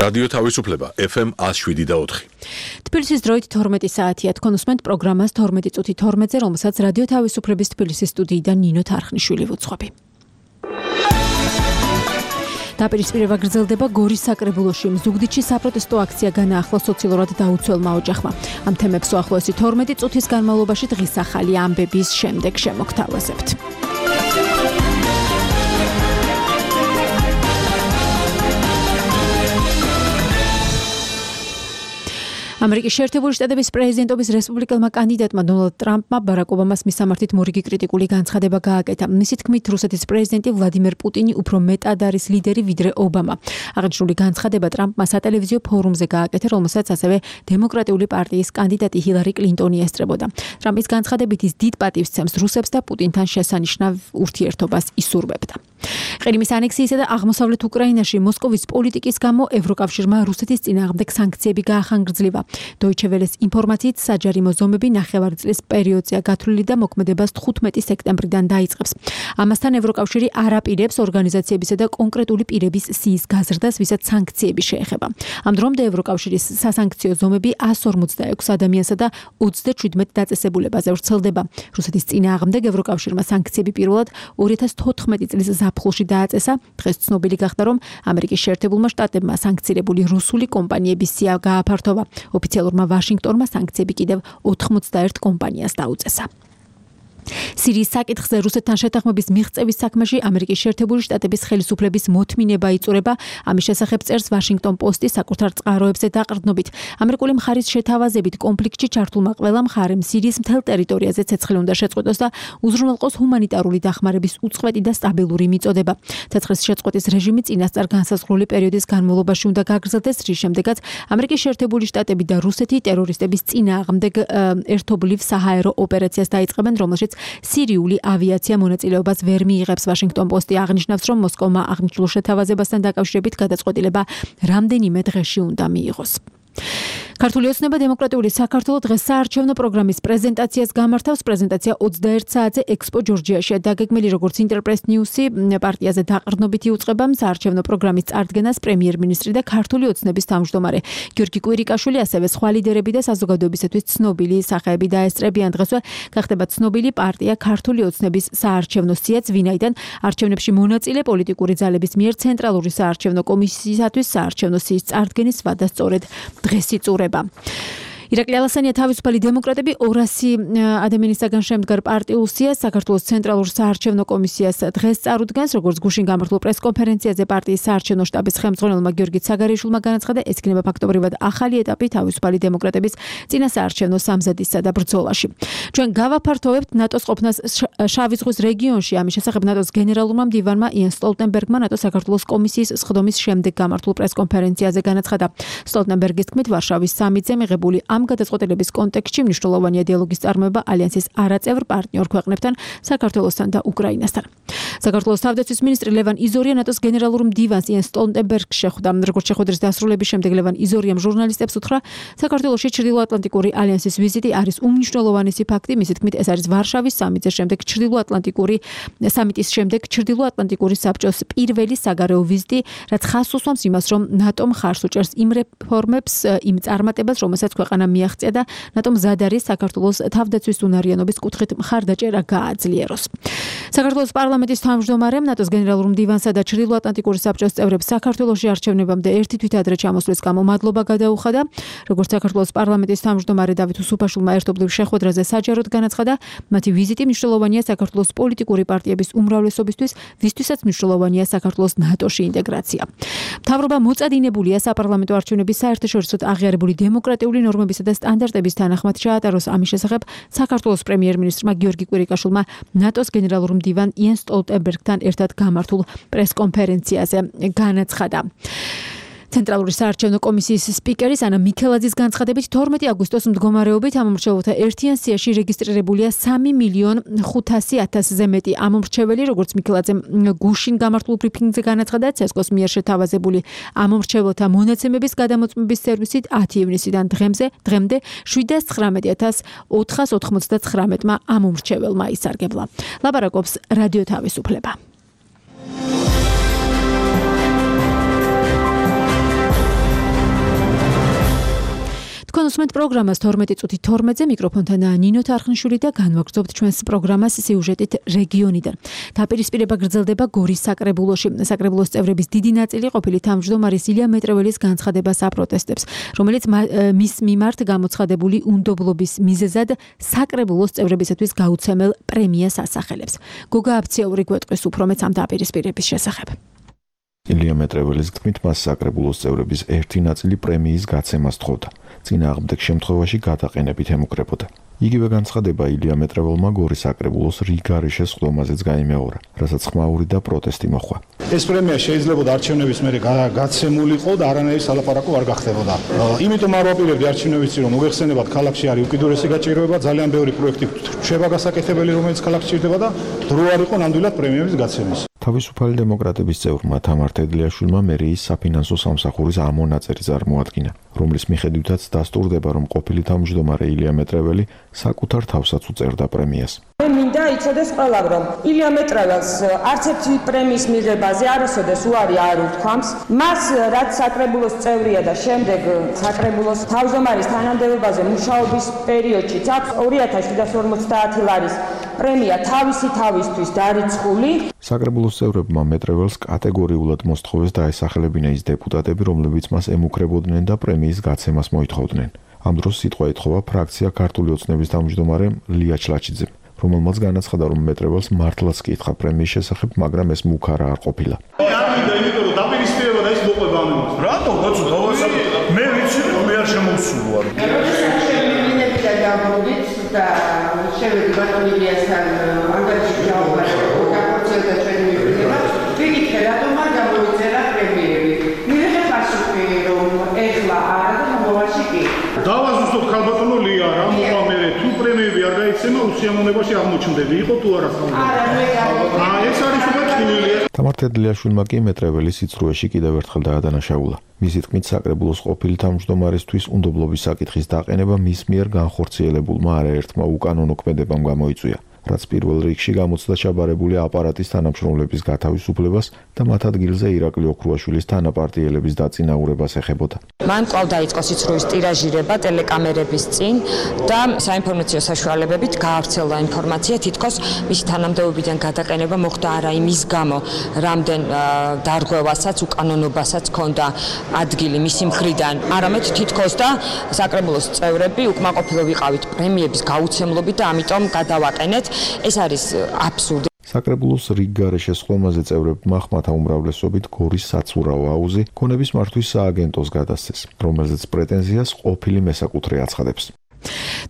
რადიო თავისუფლება FM 107.4. თბილისის დროით 12 საათია. თქვენ უსმენთ პროგრამას 12 წუთი 12-ზე, რომელსაც რადიო თავისუფლების თბილისის სტუდიიდან ნინო თარხნიშვილი ვუძღვები. დაპირისპირება გრძელდება გორის საკრებულოში. ზუგდიდში საპროტესტო აქცია განაახლა სოციალურად დაუცველმა ოჯახმა. ამ თემებს უახლოესი 12 წუთის განმავლობაში დღის ახალი ამბების შემდეგ შემოგთავაზებთ. ამერიკის შეერთებული შტატების პრეზიდენტობის რესპუბლიკელმა კანდიდატმა დონალდ ტრამპმა ბარაკ ობამას მისამართით მორიგი კრიტიკული განცხადება გააკეთა. მისი თქმით, რუსეთის პრეზიდენტი ვლადიმერ პუტინი უფრო მეტად არის ლიდერი ვიდრე ობამა. აღნიშნული განცხადება ტრამპმა სატელევიზიო ფორუმზე გააკეთა, რომელსაც ასევე დემოკრატიული პარტიის კანდიდატი ჰილარი კლინტონი ესწრებოდა. ტრამპის განცხადებით ის დიდ პატივს ცემს რუსებს და პუტინთან შესანიშნავ ურთიერთობას ისურვებდა. ყირიმის ანექსიისა და აღმოსავლეთ უკრაინაში მოსკოვის პოლიტიკის გამო ევროკავშირმა რუსეთის წინააღმდეგ სანქციები გაახანგრძლივა. Deutsche Welles ინფორმაციით საჯარიმო ზომები ნახევარწლის პერიოდზეა გათვლილი და მოქმედებას 15 სექტემბრიდან დაიწყებს. ამასთან ევროკავშირი არ აპირებს ორგანიზაციებისა და კონკრეტული პირების სიის გაზრდას, ვისაც სანქციები შეეხება. ამ დრომდე ევროკავშირის სასანქციო ზომები 146 ადამიანსა და 37 დაწესებულებაზე ვრცელდება. რუსეთის წინააღმდეგ ევროკავშირმა სანქციები პირველად 2014 წლის ზაფხულში დააწესა. დღეს ცნობილი გახდა, რომ ამერიკის შეერთებულმა შტატებმა სანქცირებული რუსული კომპანიების სია გააფართოვა. ოფიციალურმა ვაშინგტონმა სანქციები კიდევ 91 კომპანიას დაუწესა. სირიის საკითხზე რუსეთთან შეთანხმების მიღწევის საქმეში ამერიკის შეერთებული შტატების ხელისუფლების მოთმინება იწურება. ამის შესახებ წერს ვაშინგტონ პოსტი საკუთარ წყაროებზე დაყრდნობით. ამერიკული მხარის შეთავაზებით კონფლიქტში ჩართულმა ყველა მხარემ სირიის მთელ ტერიტორიაზე ცეცხლი უნდა შეწყვეტოს და უზრუნველყოს ჰუმანიტარული დახმარების უწყვეტი და სტაბილური მიწოდება. ცეცხლის შეწყვეტის რეჟიმი წინასწარ განსაზღვრული პერიოდის განმავლობაში უნდა გაგრძელდეს, რის შემდეგაც ამერიკის შეერთებული შტატები და რუსეთი ტერორისტების წინააღმდეგ ერთობლივ საჰაერო ოპერაციას დაიწყებენ, რომელშიც სირიული ავიაცია მონაწილეობას ვერ მიიღებს. ვაშინგტონ პოსტი აღნიშნავს, რომ მოსკოვმა აღნიშნულ შეთავაზებასთან დაკავშირებით გადაწყვეტილება რამდენიმე დღეში უნდა მიიღოს. ქართული ოცნება დემოკრატიული საქართველო დღეს საარჩევნო პროგრამის პრეზენტაციას გამართავს. პრეზენტაცია 21 საათზე ექსპო ჯორჯიაშია დაგეგმილი, როგორც ინტერპრეს ნიუსი პარტიაზე დაყრდნობით იუწყება. საარჩევნო პროგრამის წარდგენას პრემიერ-მინისტრი და ქართული ოცნების თავმჯდომარე გიორგი კვირიკაშვილი, ასევე სხვა ლიდერები და საზოგადოებისათვის ცნობილი სახეები დაესწრებიან. დღესვე გახდება ცნობილი პარტია ქართული ოცნების საარჩევნო სიაც, ვინაიდან არჩევნებში მონაწილე პოლიტიკური ძალების მიერ ცენტრალური საარჩევნო კომისიისათვის საარჩევნო სიის წარდგენის ვადა სწორედ დღეს იწურება. ირაკლი ალასანია თავისუფალი დემოკრატები 200 ადამიანისაგან შემდგარ პარტიულ სიას საქართველოს ცენტრალურ საარჩევნო კომისიას დღეს წარუდგენს. როგორც გუშინ გამართულ პრესკონფერენციაზე პარტიის საარჩევნო შტაბის ხელმძღვანელმა გიორგი ცაგარიშვილმა განაცხადა, ეს იქნება ფაქტობრივად ახალი ეტაპი თავისუფალი დემოკრატების წინა საარჩევნო სამზადისსა და ბრძოლაში. ჩვენ გავაფართოვებთ ნატოს ყოფნას შავი ზღვის რეგიონში. ამის შესახებ ნატოს გენერალურმა მდივანმა იენ სტოლტენბერგმა ნატოს საქართველოს კომისიის სხდომის შემდეგ გამართულ პრესკონფერენციაზე განაცხადა. სტოლტენბერგის თქმით, ვარშავის სამიტზე მიღებული ამ გადაწყვეტილების კონტექსტში მნიშვნელოვანია დიალოგის წარმოება ალიანსის არაწევრ პარტნიორ ქვეყნებთან, საქართველოსთან და უკრაინასთან. საქართველოს თავდაცვის მინისტრი ლევან იზორია ნატოს გენერალურ მდივანს იენ სტოლტენბერგს შეხვდა. როგორც შეხვედრის დასრულების შემდეგ ლევან იზორიამ ჟურნალისტებს უთხრა, საქართველოში ჩრდილოატლანტიკური ალიანსის ვიზიტი არის უმნიშვნელოვანესი ფაქტი. მისი თქმით, ეს არის ვარშავის სამიტის შემდეგ ჩრდილოატლანტიკური საბჭოს პირველი საგარეო ვიზიტი, რაც ხაზს უსვამს იმას, რომ ნატომ ხარს უჭერს იმ რეფორმებს, იმ წარმატებას, რომელსაც ქვეყანა მიაღწია და ნატომ მზად არის საქართველოს თავდაცვის უნარიანობის კუთხით მხარდაჭერა გააძლიეროს. საქართველოს პარლამენტის თავმჯდომარემ ნატოს გენერალურ მდივანსა და ჩრდილოატლანტიკური საბჭოს წევრებს საქართველოში არჩევნებამდე ერთი თვით ადრე ჩამოსვლის გამო მადლობა გადაუხადა. როგორც საქართველოს პარლამენტის თავმჯდომარე დავით უსუფაშვილმა ერთობლივ შეხვედრაზე საჯაროდ განაცხადა, მათი ვიზიტი მნიშვნელოვანია საქართველოს პოლიტიკური პარტიების უმრავლესობისთვის, ვისთვისაც მნიშვნელოვანია საქართველოს ნატოში ინტეგრაცია. მთავრობა მოწადინებულია საპარლამენტო არჩევნების საერთაშორისო აღიარებული დემოკრატიული ნორმებისა და სტანდარტების თანახმად ჩაატაროს. ამის შესახებ საქართველოს პრემიერ-მინისტრმა გიორგი კვირიკაშვილმა ნატოს გენერალურ მდივან იენ სტოლტენბერგთან ერთად გამართულ პრესკონფერენციაზე განაცხადა. ცენტრალური საარჩევნო კომისიის სპიკერის ანა მიქელაძის განცხადებით 12 აგვისტოს მდგომარეობით ამომრჩეველთა ერთიან სიაში რეგისტრირებულია 3,500,000-ზე მეტი ამომრჩეველი. როგორც მიქელაძემ გუშინ გამართულ ბრიფინგზე განაცხადა, ცესკოს მიერ შეთავაზებული ამომრჩეველთა მონაცემების გადამოწმების სერვისით 10 ივნისიდან დღემდე 719,499 ამომრჩეველმა ისარგებლა. ლაპარაკობს რადიო თავისუფლება. თქვენ უსმენთ პროგრამას 12 წუთი 12-ზე მიკროფონთან ნინო თარხნიშვილი და განვაგრძობთ ჩვენს პროგრამას სიუჟეტით რეგიონიდან. დაპირისპირება გრძელდება გორის საკრებულოში. საკრებულოს წევრების დიდი ნაწილი ყოფილი თავმჯდომარის ილია მეტრეველის განცხადებას აპროტესტებს, რომელიც მის მიმართ გამოცხადებული უნდობლობის მიზეზად საკრებულოს წევრებისათვის გაუცემელ პრემიას ასახელებს. გოგა აფციაური გვეტყვის უფრო მეც ამ დაპირისპირების შესახებ. ილია მეტრეველის თქმით, მას საკრებულოს წევრების ერთი ნაწილი პრემიის გაცემას თხოვდა. წინააღმდეგ შემთხვევაში გადაყენებით ემუქრებოდა. იგივე განცხადება ილია მეტრეველმა გორის საკრებულოს რიგარეშე სხდომაზეც გაიმეორა, რასაც ხმაური და პროტესტი მოჰყვა. ეს პრემია შეიძლება არჩევნების მერე გაცემულიყო და არანაირი სალაპარაკო არ გახდებოდა. იმიტომ არ ვაპირებდი არჩევნებიც რომ მოიხსენებათ ქალაქში არის უკიდურესი გაჭირვება, ძალიან ბევრი პროექტი რჩება გასაკეთებელი, რომელიც ქალაქში ჭირდება და დრო არ იყო ნამდვილად პრემიების გაცემის. თავისუფალი დემოკრატების წევრმა თამარ თედლიაშვილმა მერიის საფინანსო სამსახურის ამონაწერი წარმოადგინა, რომლის მიხედვითაც დასტურდება, რომ ყოფილი თავმჯდომარე ილია მეტრეველი საკუთარ თავსაც უწერდა პრემიას. მე მინდა იცოდეს ყველამ, რომ ილია მეტრეველს არც ერთი პრემიის მიღებაზე არასოდეს უარი არ უთქვამს. მას რაც საკრებულოს წევრია და შემდეგ საკრებულოს თავმჯდომარის თანამდებობაზე მუშაობის პერიოდშიც აქვს 2750 ლარის პრემია თავისი თავისთვის დარიცხული. საკრებულოს წევრებმა მეტრეველს კატეგორიულად მოსთხოვეს დაესახელებინა ის დეპუტატები, რომლებიც მას ემუქრებოდნენ და პრემიის გაცემას მოითხოვდნენ. ამ დროს სიტყვა ეთხოვა ფრაქცია ქართული ოცნების თავმჯდომარე ლია ჩლაჩიძემ, რომელმაც განაცხადა, რომ მეტრეველს მართლაც კითხა პრემიის შესახებ, მაგრამ ეს მუქარა არ ყოფილა. არ მინდა, იმიტომ რომ დაპირისპირება და ეს მოყვება ამ იმას. რატო კაცო დავასაბ მე ვიცი რომ მე არ შემოვსულ ვარ. და შევედი ბატონილიასთან ანგარიში ჩავყარა და ჩვენი მიყრება ვიკითხე რატომ არ გამოიწერა პრემიები მივიღე პასუხი რომ ეხლა არა და მომავალში კი დავაზუსტოთ ქალბატონო ლია რა მოყვა მე თუ პრემიები არ გაიცემა უსიამოვნებაში აღმოჩნდები იყო თუ არა არა მე ეს არის უბრალოდ თამარ თედლიაშვილმა კი მეტრეველის სიცრუეში კიდევ ერთხელ დაადანაშაულა. მისი თქმით, საკრებულოს ყოფილი თავმჯდომარისთვის უნდობლობის საკითხის დაყენება მის მიერ განხორციელებულმა არაერთმა უკანონო ქმედებამ გამოიწვია, რაც პირველ რიგში გამოცდა ჩაბარებული აპარატის თანამშრომლების გათავისუფლებას და მათ ადგილზე ირაკლი ოქრუაშვილის თანაპარტიელების დაწინაურებას ეხებოდა. მან კვლავ დაიწყო სიცრუის ტირაჟირება ტელეკამერების წინ და საინფორმაციო საშუალებებით გაავრცელდა ინფორმაცია, თითქოს მისი თანამდებობიდან გადაყენება მოხდა არა იმის გამო, რამდენ დარღვევასაც, უკანონობასაც ჰქონდა ადგილი მისი მხრიდან, არამედ თითქოს და საკრებულოს წევრები უკმაყოფილო ვიყავით პრემიების გაუცემლობით და ამიტომ გადავაყენეთ. ეს არის აბსურდი. საკრებულოს რიგგარეშე სხდომაზე წევრებმა ხმათა უმრავლესობით გორის საცურაო აუზი ქონების მართვის სააგენტოს გადასცეს, რომელზეც პრეტენზიას ყოფილი მესაკუთრე აცხადებს.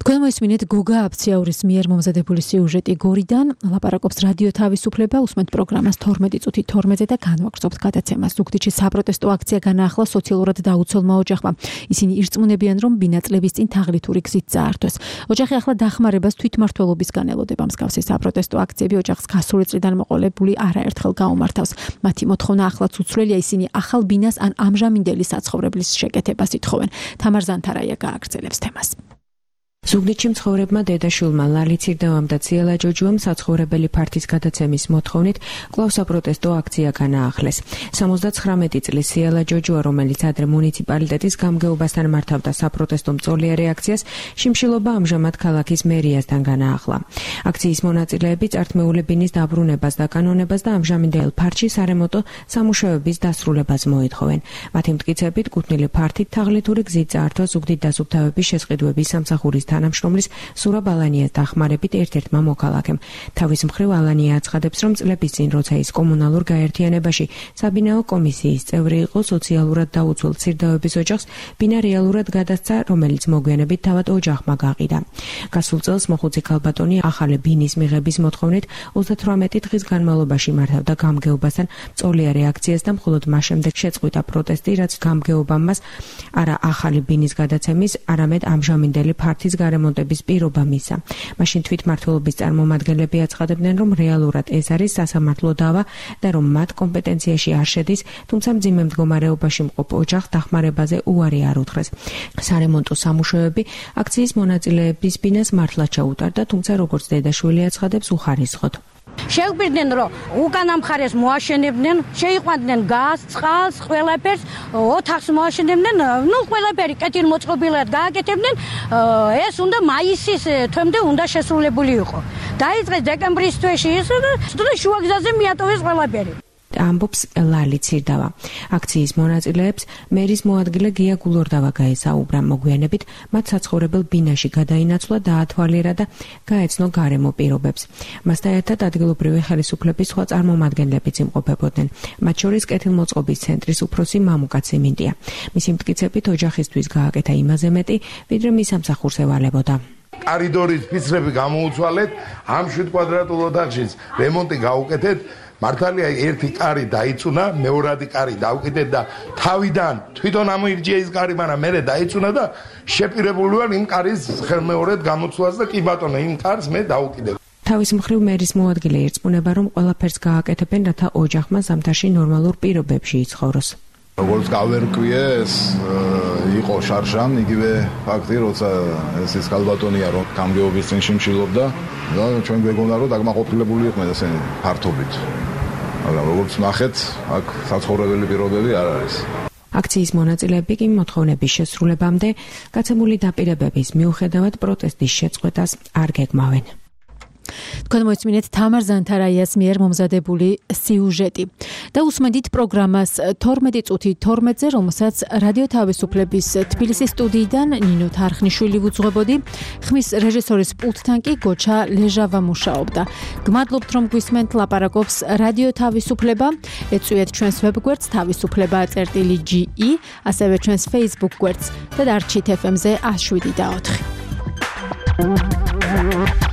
თქვენ მოისმინეთ გოგა აფციაურის მიერ მომზადებული სიუჟეტი გორიდან, ლაპარაკობს რადიო თავისუფლება, უსმენთ პროგრამას 12 წუთი 12-ზე და განვაგრძობთ გადაცემას. ზუგდიდში საპროტესტო აქცია განაახლა სოციალურად დაუცველმა ოჯახმა. ისინი ირწმუნებიან, რომ ბინაწლების წინ თაღლითური გზით წაართვეს. ოჯახი ახლა დახმარებას თვითმმართველობისგან ელოდება. მსგავსი საპროტესტო აქციები ოჯახს გასული წლიდან მოყოლებული არაერთხელ გაუმართავს. მათი მოთხოვნა ახლაც უცვლელია, ისინი ახალ ბინას ან ამჟამინდელი საცხოვრებლის შეკეთებას ითხოვენ. თამარ ზანთარაია გააგრძელებს თემას. ზუგდიდში მცხოვრებმა დედაშვილმა ლალი ცირდევამ და ციელა ჯოჯუამ საცხოვრებელი ფართის გადაცემის მოთხოვნით კვლავ საპროტესტო აქცია განაახლეს. 79 წლის ციელა ჯოჯუა, რომელიც ადრე მუნიციპალიტეტის გამგეობასთან მართავდა საპროტესტო მწოლიარე აქციას, შიმშილობა ამჟამად ქალაქის მერიასთან განაახლა. აქციის მონაწილეები წართმეული ბინის დაბრუნებას და კანონებას და ამჟამინდელ ფართში სარემონტო სამუშაოების დასრულებას მოითხოვენ. მათი მტკიცებით, კუთვნილი ფართით თაღლითური გზით წაართვა ზუგდიდ დასუფთავების შესყიდვების სამსახურის თანამშრომლის სურაბ ალანიას დახმარებით ერთ-ერთმა მოქალაქემ. თავის მხრივ ალანია აცხადებს, რომ წლების წინ, როცა ის კომუნალურ გაერთიანებაში საბინაო კომისიის წევრი იყო, სოციალურად დაუცველ ცირდავების ოჯახს ბინა რეალურად გადასცა, რომელიც მოგვიანებით თავად ოჯახმა გაყიდა. გასულ წელს მოხუცი ქალბატონი ახალი ბინის მიღების მოთხოვნით 38 დღის განმავლობაში მართავდა გამგეობასთან მწოლიარე აქციას და მხოლოდ მას შემდეგ შეწყვიტა პროტესტი, რაც გამგეობამ მას არა ახალი ბინის გადაცემის, არამედ ამჟამინდელი ფართის გარემონტების პირობა მისცა. მაშინ თვითმმართველობის წარმომადგენლები აცხადებდნენ, რომ რეალურად ეს არის სასამართლო დავა და რომ მათ კომპეტენციაში არ შედის, თუმცა მძიმე მდგომარეობაში მყოფ ოჯახს დახმარებაზე უარი არ უთხრეს. სარემონტო სამუშაოები აქციის მონაწილეების ბინას მართლაც ჩაუტარდა, თუმცა როგორც დედაშვილი აცხადებს, უხარისხოდ. შეგვიდნენ რომ უკანა მხარეს მოაშენებდნენ, შეიყვანდნენ გაზს, წყალს, ყველაფერს, ოთახს მოაშენებდნენ, ყველაფერი კეთილმოწყობილად გააკეთებდნენ. ეს უნდა მაისის თვემდე უნდა შესრულებული იყო. დაიწყეს დეკემბრის თვეში ის და შუაგზაზე მიატოვეს ყველაფერი. ამბობს ლალი ციrdava. აქციის მონაწილეებს მერის მოადგილე გია გულორდავა გაესაუბრა მოგვიანებით, მათ საცხოვრებელ ბინაში გადაინაცვლა, დაათვალიერა და გაეცნო გარემო პირობებს. მასთან ერთად ადგილობრივი ხელისუფლების სხვა წარმომადგენლებიც იმყოფებოდნენ. მათ შორის კეთილმოწყობის ცენტრის უფროსი მამუკაცი მინდია. მისი მტკიცებით ოჯახისთვის გააკეთა იმაზე მეტი, ვიდრე მის სამსახურს ევალებოდა. კორიდორის ფიცრები გამოუცვალეთ, ამ 7 კვადრატულ ოთახშიც რემონტი გაუკეთეთ. მართალია ერთი კარი დაიწუნა, მეორადი კარი დავკიდეთ და თავიდან თვითონ ამოირჩია ის კარი, მაგრამ მე დაიწუნა და შეპირებული ვარ იმ კარის ხელმეორედ გამოცვლას და კი ბატონო, იმ კარს მე დავკიდებ. თავის მხრივ მერის მოადგილე ირწმუნება, რომ ყველაფერს გააკეთებენ, რათა ოჯახმა ზამთარში ნორმალურ პირობებში იცხოვროს. როგორც გავერკვიე, ეს იყო შარშან, იგივე ფაქტი, როცა ეს კალბატონია, რომ გამგეობის წინში მშილობდა და ჩვენ გვეგონა, რომ დაგმაყოფილებული იყვნენ ესენი ფართობით. მაგრამ როგორც ნახეთ, აქ საცხოვრებელი პირობები არ არის. აქციის მონაწილეები კი მოთხოვნების შესრულებამდე გაცემული დაპირებების მიუხედავად პროტესტის შეწყვეტას არ გეგმავენ. თქვენ მოისმინეთ თამარ ზანთარაიას მიერ მომზადებული სიუჟეტი და უსმენთ პროგრამას 12 წუთი 12-ზე, რომელსაც რადიო თავისუფლების თბილისის სტუდიიდან ნინო თარხნიშვილი ვუძღვებოდი, ხმის რეჟისორის პულტთან კი გოჩა ლეჟავა მუშაობდა. გმადლობთ, რომ გვისმენთ, ლაპარაკობს რადიო თავისუფლება. ეწვიეთ ჩვენს ვებგვერდს თავისუფლება.ge, ასევე ჩვენს Facebook გვერდს და დარჩით FM-ზე 107.4.